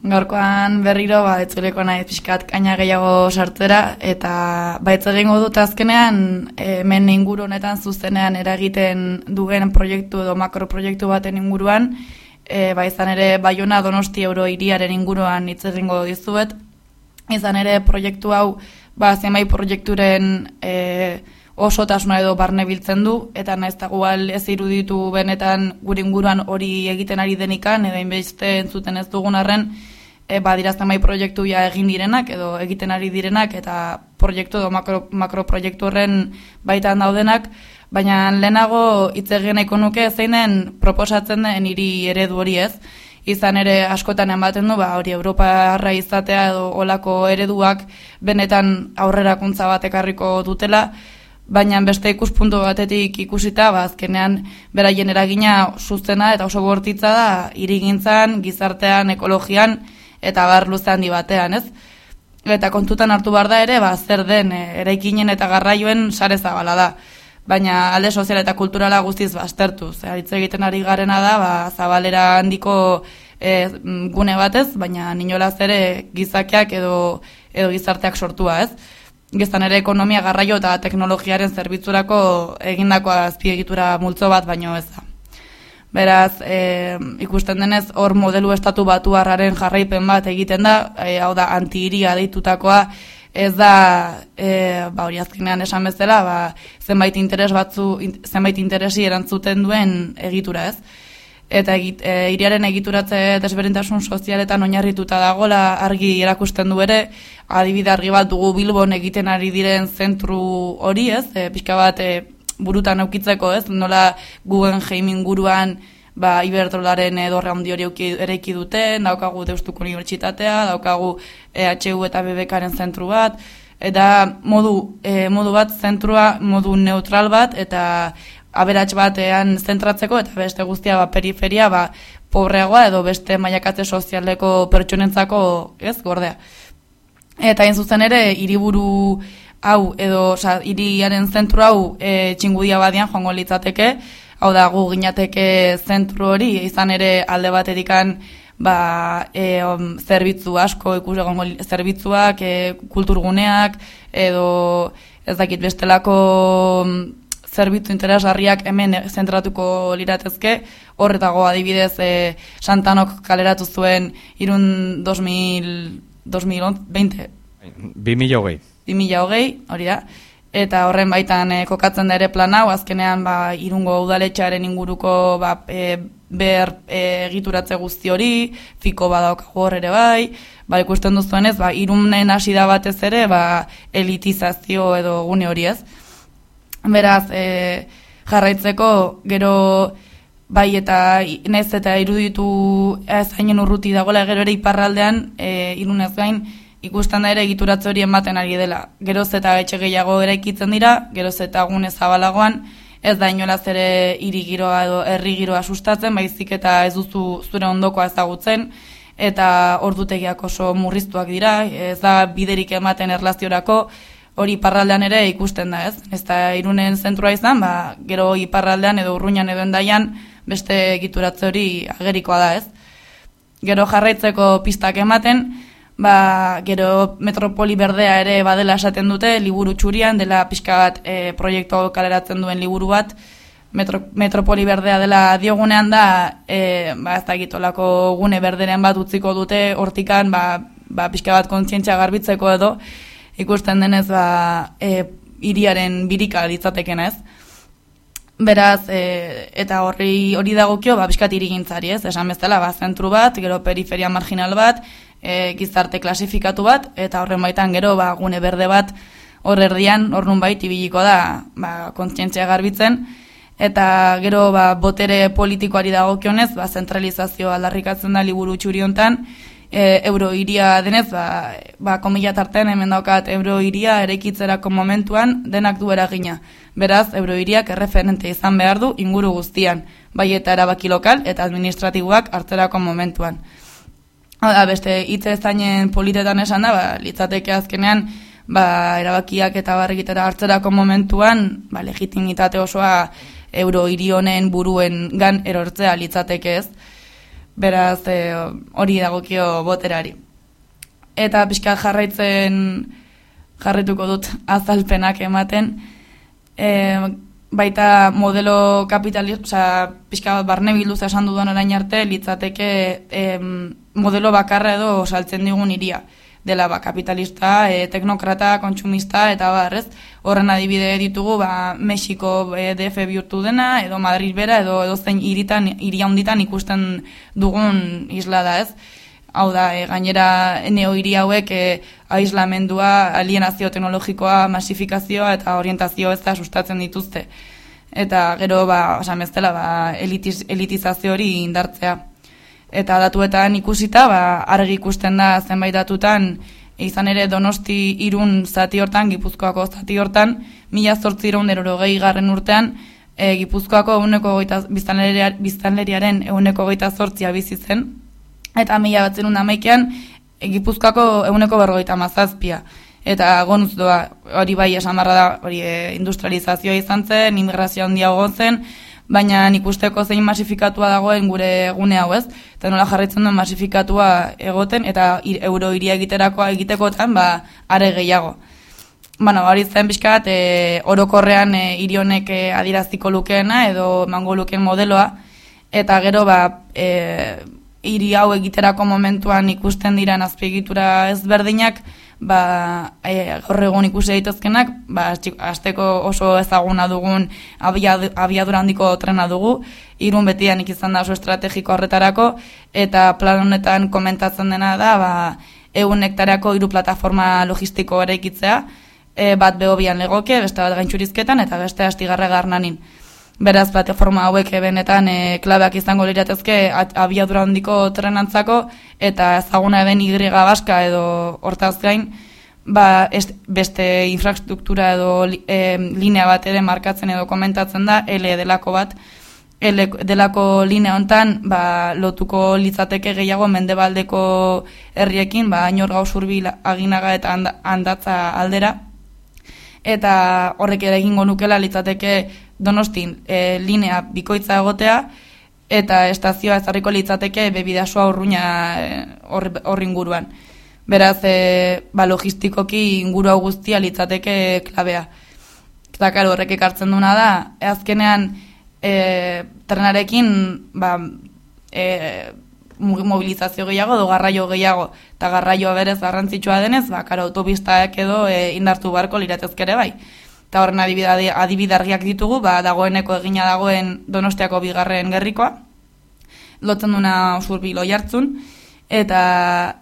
Gaurkoan berriro, etzuleko nahi pixkat kaina gehiago sartzera, eta baitz egingo dut azkenean, hemen inguru honetan zuzenean eragiten duen proiektu edo makroproiektu baten inguruan, izan ere Baiona Donosti Eurohiriaren inguruan hitz egingo dizuet. Izan ere proiektu hau, zenbait proiekturen osotasuna edo barne biltzen du, eta nahiz eta gual ez iruditu benetan gure inguruan hori egiten ari denikan, edo inbeste entzuten ez dugun arren, dira zenbait proiektu ja egin direnak, edo egiten ari direnak, eta proiektu edo makroproiektu horren baitan daudenak, baina lehenago hitz egin nahiko nuke zeinen proposatzen den hiri eredu hori ez. Izan ere askotan ematen du, hori Europarra izatea edo olako ereduak benetan aurrerakuntza bat ekarriko dutela, baina beste ikuspuntu batetik ikusita, azkenean beraien eragina zuzena eta oso bortitza da hirigintzan, gizartean, ekologian eta bar luze handi batean, ez? Eta kontutan hartu behar da ere, zer den eraikinen eta garraioen sare zabala da. Baina alde sozial eta kulturala guztiz baztertuz. Hitz egiten ari garena da, zabalera handiko gune batez, baina inolaz ere gizakiak edo gizarteak sortua, ez? Gizan ere ekonomia, garraio eta teknologiaren zerbitzurako egindako azpiegitura multzo bat baino ez da. Beraz, ikusten denez, hor modelu estatu batuarraren jarraipen bat egiten da, hau da anti-hiria deitutakoa, ez da, hori azkenean esan bezala, zenbait interesi erantzuten duen egitura, ez? Eta hiriaren egituratze desberdintasun sozialetan oinarrituta dagola argi erakusten du ere, adibide argi bat dugu Bilbon egiten ari diren zentru hori, ez? Pixka bat burutan aukitzeko, ez? Nola Guggenheim inguruan Iberdrolaren dorre handi hori eraiki duten, daukagu Deustuko Unibertsitatea, daukagu EHU eta BBKaren zentru bat, eta modu bat zentrua, modu neutral bat, eta aberats batean zentratzeko, eta beste guztia periferia pobreagoa edo beste mailakatze sozialeko pertsonentzako, ez, gordea. Eta hain zuzen ere, hiriburu hau edo hiriaren zentru hau txingudia badian joango litzateke, hau da gu ginateke zentru hori, izan ere alde batetikan zerbitzu asko ikusegongo zerbitzuak, kulturguneak, edo ez dakit bestelako zerbitzu interesgarriak hemen zentratuko liratezke, horretago adibidez Santanok kaleratu zuen Irun 2020. 2020, hori da. Eta horren baitan kokatzen da ere plan hau, azkenean Irungo udaletxearen inguruko behar egituratze guzti hori, fiko badaukagu hor ere ikusten duzuenez, Irunen hasi da batez ere, elitizazio edo gune hori ez. Beraz, jarraitzeko gero eta nez eta iruditu zainen urruti dagoela gero ere iparraldean, Irunez gain, ikusten da ere egituratze hori ematen ari dela. Geroz eta etxe gehiago eraikitzen dira, geroz eta gune zabalagoan, ez da inolaz ere hiri giroa edo herri giroa sustatzen, baizik eta ez duzu zure ondokoa ezagutzen, eta ordutegiak oso murriztuak dira, ez da biderik ematen erlaziorako, hori iparraldean ere ikusten da, ez? Ez da Irunen zentrua izan, gero iparraldean edo Urruñan edo Hendaian beste egituratze hori agerikoa da, ez? Gero jarraitzeko pistak ematen, gero Metropoli Berdea ere badela esaten dute, liburu txurian, dela pixka bat proiektu kaleratzen duen liburu bat, Metropoli Berdea dela diogunean da, ez da egitolako gune berderen bat utziko dute, hortikan, pixka bat kontzientzia garbitzeko edo, ikusten denez, hiriaren birika litzateken ez. Beraz, eta hori dagokio, pixkat hirigintzari ez, esan bezala, zentru bat, gero periferia marginal bat, gizarte klasifikatu bat, eta horren baitan gero gune berde bat hor erdian, hor nunbait ibiliko da kontzientzia garbitzen, eta gero botere politikoari dagokionez, zentralizazioa aldarrikatzen da liburu txuri hontan, eurohiria denez, komila tartean hemen daukat eurohiria eraikitzerako momentuan denak du eragina. Beraz, eurohiriak erreferente izan behar du inguru guztian, bai eta erabaki lokal eta administratiboak hartzerako momentuan. Beste hitz zainen politetan esan da, litzateke azkenean, erabakiak eta barrikitera hartzerako momentuan, legitimitate osoa eurohiri honen buruen gan erortzea litzateke ez. Beraz, hori dagokio boterari. Eta pixka jarraituko dut azalpenak ematen, baita modelo kapitalista, pixka barne bilduz esan dudan orain arte, litzateke modelo bakarra edo saltzen digun hiria. Dela kapitalista, teknokrata, kontsumista, eta barrez, horren adibide ditugu, Mexiko DF bihurtu dena, edo Madrid bera, edo zein hiri handitan ikusten dugun isla da, ez? Hau da, gainera neo-hiri hauek aislamendua, alienazio teknologikoa, masifikazioa eta orientazio ez da sustatzen dituzte. Eta gero, osan bezala, elitizazio hori indartzea. Eta datuetan ikusita, argi ikusten da zenbait datutan, izan ere Donosti Irun zati hortan, Gipuzkoako zati hortan, 1880 urtean, Gipuzkoako biztanleriaren 128 bizi zen, eta 1911an Gipuzkoako 157. Eta gonuz doa, hori bai esan barra da, hori industrializazioa izan zen, immigrazioa handiago zen, baina ikusteko zein masifikatua dagoen gure gune hau, ez? Eta nola jarraitzen duen masifikatua egoten, eta euro hiria egitekotan, are gehiago. Hori zen pixkat, orokorrean hiri honek adieraziko lukeena, edo mango lukeen modeloa, eta gero, hiri hau egiterako momentuan ikusten diran azpiegitura ezberdinak, gaur egun ikusi daitezkenak, hasteko oso ezaguna dugun abiadura handiko trena dugu, Irun betidanik izan da oso estrategiko horretarako, eta plan honetan komentatzen dena da, 1.000 hektareako 3 plataforma logistiko eraikitzea, bat Behobian legoke, beste bat Gaintxurizketan, eta beste Astigarraga Garnanin. Beraz, plataforma hauek benetan klabeak izango liratezke abiadura handiko trenantzako, eta ezaguna den Y baska edo hortaz gain, beste infrastruktura edo linea bat ere markatzen edo komentatzen da, L delako bat. L delako linea hontan lotuko litzateke gehiago mendebaldeko herriekin, Añorga, Usurbil, Aginaga eta Andatza aldera. Eta horrek ere egingo nukela litzateke Donostin linea bikoitza egotea, eta estazioa ezarriko litzateke Bidasoa Urruña horri inguruan. Beraz, logistikoki inguru hau guztia litzateke klabea. Eta horrek ekartzen duna da, azkenean trenarekin mobilizazio gehiago edo garraio gehiago, eta garraioa berez garrantzitsua denez, autopistak edo indartu beharko liratezkere bai. Eta horren adibide argiak ditugu, dagoeneko egina dagoen Donostiako 2. gerrikoa, lotzen duna Usurbil Oiartzun, eta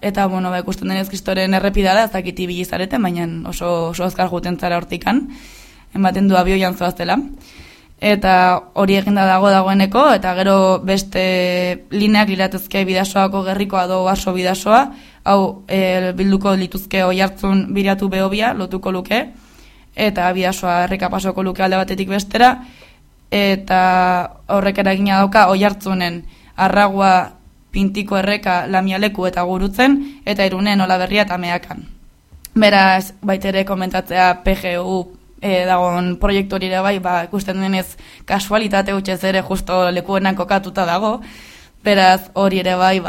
ikusten denez kristoren errepida da, ez dakit ibili zareten, baina oso azkar juten zara hortikan, ematen du abioian zoaztela. Eta hori eginda dagoeneko, eta gero beste lineak liratezke Bidasoako gerrikoa do Baso Bidasoa, hau bilduko lituzke Oiartzun Biratu Behobia, lotuko luke, eta Bidasoa erreka pasoko luke alde batetik bestera, eta horrek eragina dauka Oiartzunen Arragua, Pintiko erreka, Lamialeku eta Gurutzen, eta Irunen Olaberria eta Meakan. Beraz, baitere komentatzea PGU dagoen proiektu hori ere bai, ikusten denez kasualitate hutsez ere justo lekuenan kokatuta dago, beraz hori ere bai,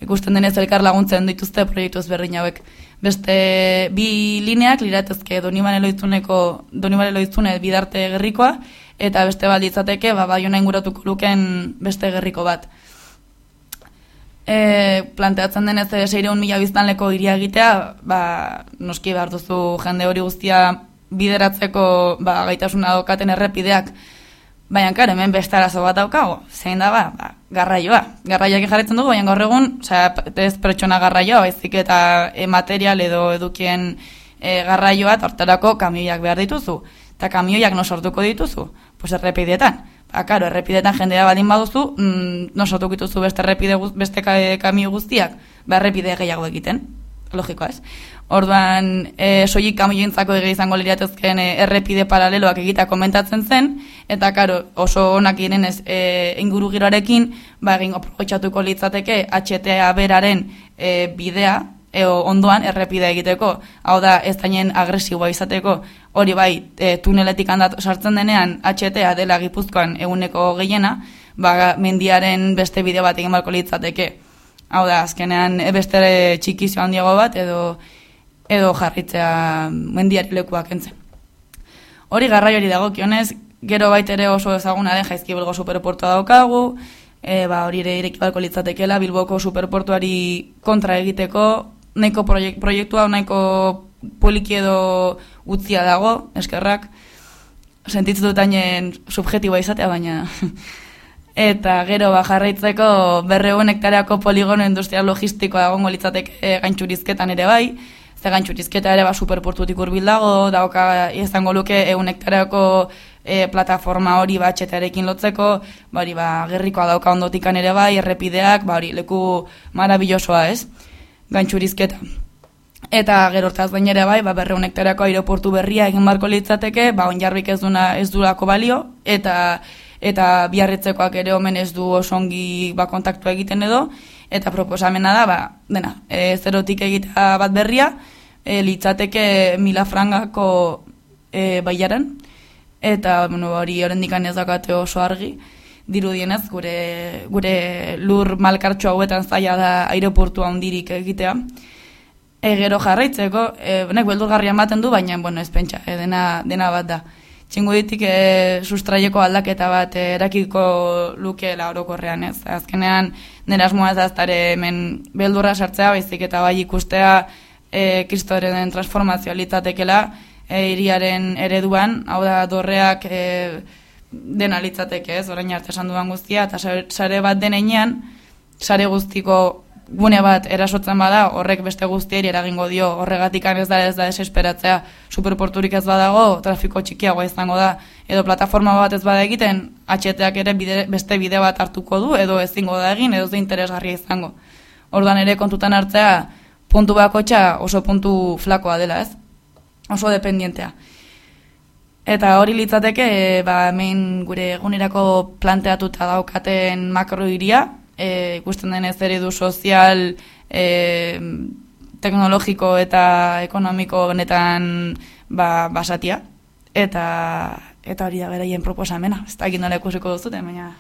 ikusten denez elkar laguntzen dituzte proiektu ezberdin hauek. Beste 2 lineak liratezke Donibane Loizune Bidarte gerrikoa, eta beste balditzateke Baiona inguratuko luken beste gerriko bat. Planteatzen denez 600.000 biztanleko hiria egitea, noski behar duzu jende hori guztia bideratzeko gaitasuna daukaten errepideak, baina hemen beste arazo bat daukago, zein da garraioa. Garraioak jarretzen dugu, baina gaur egun, ez pertsona garraioa, baizik eta material edo edukien garraioa, hortarako kamioiak behar dituzu. Eta kamioiak no sortuko dituzu? Pues errepideetan. Errepideetan jendea baldin baduzu, no sortuko dituzu beste kamio guztiak, errepide gehiago egiten. Logikoa ez. Orduan, soilik kamioentzako izango liratezkeen errepide paraleloak egita komentatzen zen, eta oso onak direnez inguru giroarekin, egin aprobetxatuko litzateke HTA beraren bidea, ondoan errepide egiteko, hau da ez dainen agresiboa izateko, hori bai tuneletik sartzen denean HTA dela Gipuzkoan 100% gehiena, mendiaren beste bideo bat egin barko litzateke. Hau da, azkenean beste txikizio handiago bat edo jarritzea mendiari lekuak entzen. Hori garraiori dagokionez, gero baitere oso ezaguna den Jaizkibelgo superportua daukagu, hori ere ireki barko litzatekela Bilboko superportuari kontra egiteko, nahiko proiektua nahiko poliki edo utzia dago, eskerrak, sentitzen dut hainen subjetiboa izatea, baina... Eta gero jarraitzeko 200 hektareako poligono industrial logistikoa egongo litzateke Gaintxurizketan ere bai, ze Gaintxurizketa ere superportutik hurbil dago, dauka izango luke 100 hektareako plataforma hori batxetarekin lotzeko, gerrikoa dauka ondotikan ere bai, errepideak, leku marabillosoa ez, Gaintxurizketa. Eta gero hortaz gain ere bai, 200 hektareako aireportu berria egin barko litzateke, Onjarbik ez duelako balio, eta Biarritzekoak ere omen ez du osongi kontaktua egiten edo, eta proposamena da, zerotik egitea bat berria, litzateke 1000 frangako baiaran, eta hori orendikan ez dakate oso argi, dirudienez gure lur malkartxo hauetan zaila da aireportua handirik egitea. Gero jarraitzeko, beldurgarria ematen du, baina ez pentsa, dena bat da. Txinguditik sustraieko aldaketa bat erakiko lukeela orokorrean ez. Azkenean, nire asmoa ez aztare hemen beldurra sartzea, baizik eta bai ikustea kristoren transformazioa litzatekela hiriaren ereduan, hau da dorreak dena litzateke ez, orain arte esan duan guztia, eta sare bat denean, sare guztiko gune bat erasotzen bada, horrek beste guztieri eragingo dio, horregatik ez da desesperatzea, superporturik ez badago, trafiko txikiagoa izango da, edo plataforma bat ez bada egiten, HT-ak ere beste bide bat hartuko du, edo ezingo da egin, edo ze interesgarria izango. Orduan ere kontutan hartzea, puntu bakotxa oso puntu flakoa dela ez, oso dependientea. Eta hori litzateke, hemen gure egunerako planteatuta daukaten makrohiria, ikusten denez eredu sozial, teknologiko eta ekonomiko honetan basatia. Eta hori da beraien proposamena. Ez da egin nola ikusiko duzute, baina...